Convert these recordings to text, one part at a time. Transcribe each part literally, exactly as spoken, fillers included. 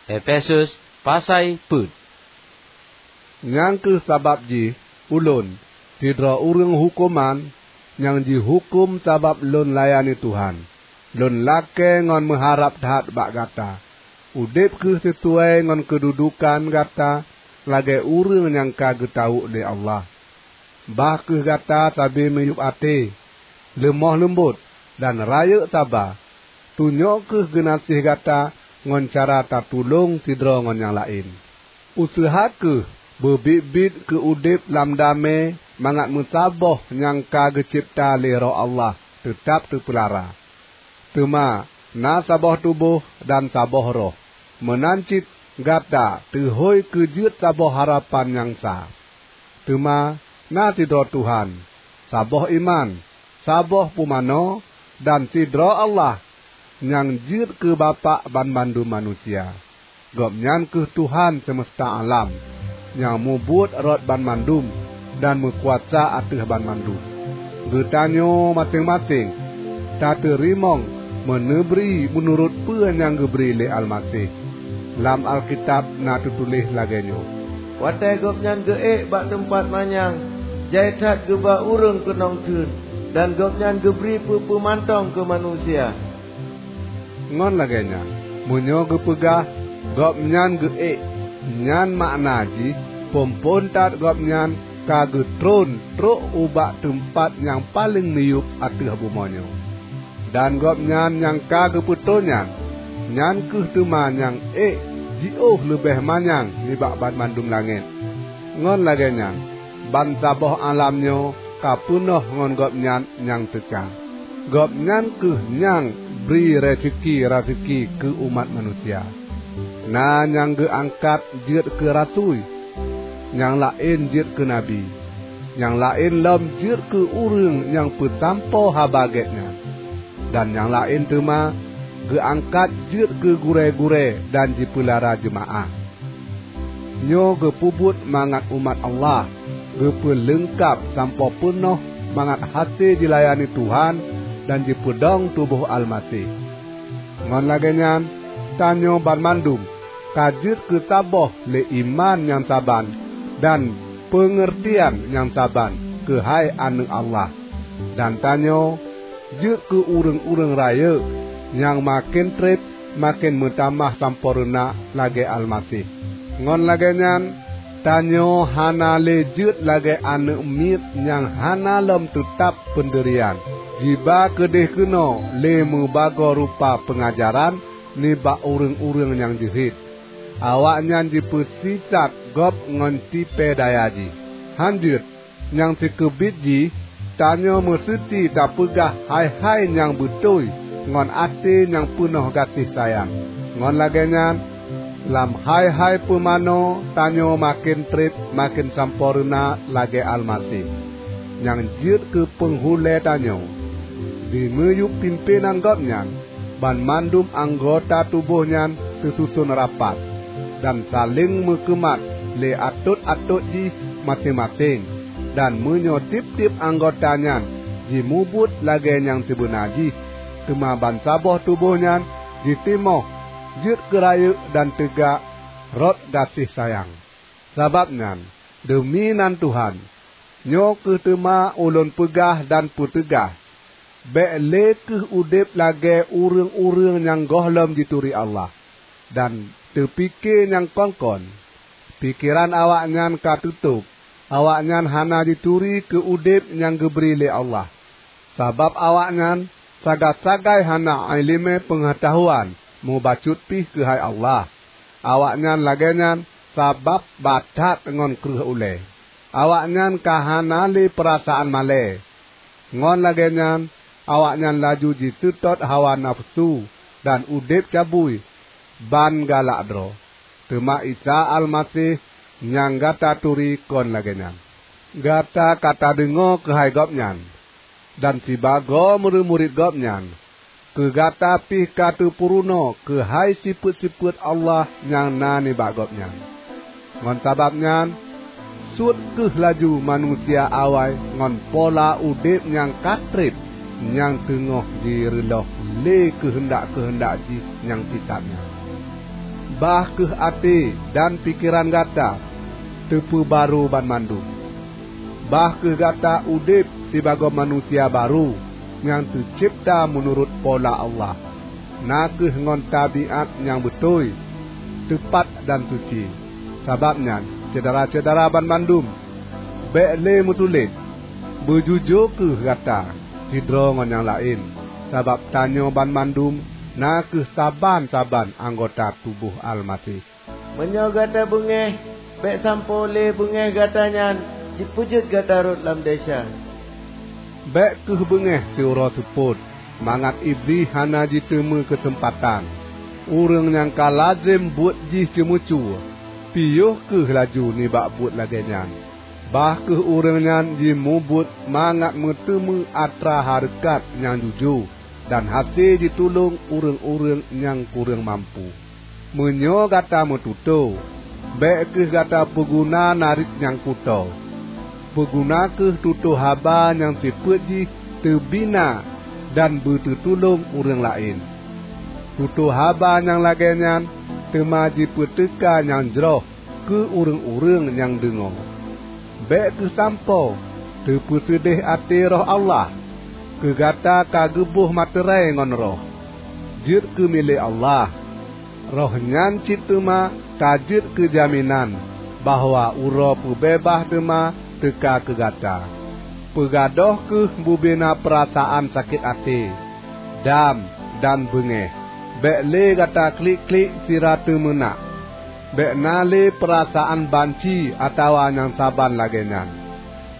Efesus pasai peuet. Nyang kheueh sabab jih ulôn, sidroe ureuëng huköman nyang jihuköm sabab lôn layani Tuhan, lôn lakée ngon meuharab that bak gata, udeb kheueh sisuai ngon keududukan gata lagée ureuëng nyang ka geutawök lé Allah. Bah kheueh gata sabe miyueb até, leumoh leumbot, dan rayeuk saba. Tunyok kheueh geunaséh gata ngon cara tatulông sidroe ngon nyang laén. Useuha kheueh beubiet-biet keu udeb lam damé mangat meusaboh nyang ka geucebta lé Roh Allah teutab teupeulara. Teuma na saboh tuboh dan saboh Roh, meunan cit gata teuhôi keu jeuet saboh harapan nyang sa. Teuma na sidroe Tuhan, saboh iman, saboh pumanö, dan sidroe Allah nyang jeuet keu Bapak banmandum manusia. Gobnyan kheueh Tuhan seumeusta alam, nyang mubuet rot banmandum dan meukuasa ateueh banmandum. Geutanyoe maséng-maséng tateurimong meuneubri meunurot peue nyang geubri lé Almaseh. Lam Alkitab na teutuléh lagée nyoe, "Watée Gobnyan geuék bak teumpat manyang, jai that geuba ureuëng keunong theun, dan Gobnyan geubri peue-peue mantong keu manusia." Ngon lagée nyan, meunyoe geupeugah, "Gobnyan geuék," nyan makna jih phon-phon that Gobnyan ka geutron trok ubak teumpat nyang paleng miyueb ateueh bumoe nyoe. Dan Gobnyan nyang ka geupeutron nyan, nyan kheueh teuma nyang ék jiôh leubeh manyang nibak banmandum langét. Ngon lagée nyan, bansaboh alam nyoe ka peunoh ngon Gobnyan nyang teuka. Gobnyan kheueh nyang bri raseuki-raseuki keu umat manusia. Na nyang geuangkat jeuet keu rasui, nyang laén jeuet keu nabi, nyang laén lom jeuet keu ureuëng nyang peusampoe Haba Gét nyan, dan nyang laén teuma geuangkat jeuet keu gurée-gurée dan jipeulara jeumaáh. Nyoe geupeubuet mangat umat Allah geupeuleungkab sampoe peunoh mangat hase jilayani Tuhan dan jipeudong tuboh Almaseh. Ngon lagée nyan, tanyoe banmandum ka jeuet keu saboh lé iman nyang saban dan peungeurtian nyang saban keuhai aneuëk Allah. Dan tanyoe jeuet keu ureuëng-ureuëng rayeuk nyang maken treb maken meutamah sampoereuna lagée Almaseh. Ngon lagée nyan, tanyoe hana lé jeuet lagée aneuëk miet nyang hana lom teutab peundeurian, jiba keudeh keunoe lé meubagoe rupa peungajaran nibak ureuëng-ureuëng nyang jeuhet. Awaknyan jipeusisat gob ngon tipée daya jih. Han jeuet, nyang sikeubiet jih, tanyoe meuseuti tapeugah hai-hai nyang beutôi ngon até nyang peunoh gaséh sayang. Ngon lagée nyan, lam hai-hai pumanö tanyoe maken treb maken sampoereuna lagée Almaseh, nyang jeuet keu peunghulée tanyoe. Di miyueb pimpénan Gobnyan, banmandum anggota tuboh nyan teususon rapat, dan saléng meukeumat lé atot-atot jih maséng-maséng. Dan meunyoe tieb-tieb anggota nyan jimubuet lagée nyang sibeuna jih, teuma bansaboh tuboh nyan jitimoh jeuet keu rayeuk dan teuga rot gaséh sayang. Sabab nyan, deumi nan Tuhan, nyoe kheueh teuma ulôn peugah dan peuteugah, bék lé kheueh udeb lagée ureuëng-ureuëng nyang gohlom jituri Allah, dan teupike nyang kon-kon. Pikeran awaknyan ka teutôb, awaknyan hana jituri keu udeb nyang geubri lé Allah. Sabab awaknyan sagai-sagai hana iéleumé peungeutahuan mubacut pih keuhai Allah. Awaknyan lagée nyan sabab ba that ngon kreueh ulée. Awaknyan ka hana lé peurasaan malée. Ngon lagée nyan, awaknyan laju jiseutôt hawa nafeusu dan udeb cabui ban galak droe. Teuma Isa Almaseh nyang gata turi kon lagée nyan. Gata ka tadeungoe keuhai Gobnyan, dan sibagoe murit-murit Gobnyan, keu gata pih ka teupeurunoe keuhai sifeuet-sifeuet Allah nyang na nibak Gobnyan. Ngon sabab nyan, suet kheueh laju manusia awai ngon pola udeb nyang ka treb nyang teungoh jireulôh lé keuheundak-keuheundak jih nyang sisat nyan. Bah kheueh até dan pikeran gata teupeubarô banmandum. Bah kheueh gata udeb sibagoe manusia barô nyang teucebta meunurot pola Allah, na kheueh ngon tabiat nyang beutôi, teupat dan suci. Sabab nyan, syedara-syedara banmandum, bék lé meutuléh, beujujô kheueh gata sidroe ngon nyang laén, sabab tanyoe banmandum na kheueh saban-saban anggota tuboh Almaseh. Meunyoe gata beungéh, bék sampoe lé beungéh gata nyan jipeujeuet gata rhot lam desya. Bék kheueh beungéh siuroe seupôt, mangat Iblih hana jiteumé keuseumpatan. Ureuëng nyang ka lazem buet jih ceumeucue, piôh kheueh laju nibak buet lagée nyan. Bah kheueh ureuëng nyan jimubuet mangat meuteumé atra hareukat nyang jujoe dan hase jitulông ureuëng-ureuëng nyang kureueng mampu. Meunyoe gata meututoe, bék kheueh gata peuguna narit nyang kutoe. Peuguna kheueh tutoe haba nyang sifeuet jih teubina dan beuteutulông ureuëng laén. Tutoe haba nyang lagée nyan teuma jipeuteuka nyang jroh keu ureuëng-ureuëng nyang deungoe. Bék kheueh sampoe teupeuseudeh até Roh Allah, keu gata ka geuboh materai ngon Roh, jeuet keu milék Allah. Roh nyan cit teuma ka jeuet keu jaminan bahwa uroe peubeubaih teuma teuka keu gata. Peugadôh kheueh bubena peurasaan sakét até, dam, dan beungéh. Bék lé gata klik-klik sira teumeunak. Bék na lé peurasaan banci atawa nyang saban lagée nyan.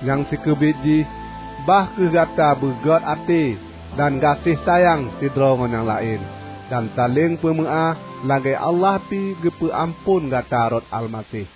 Nyang sikeubiet jih, bah kheueh gata beugét até dan gaséh sayang sidroe ngon nyang laén, dan saléng peumeuáh lagée Allah pi geupeu amphon gata rot Almaseh.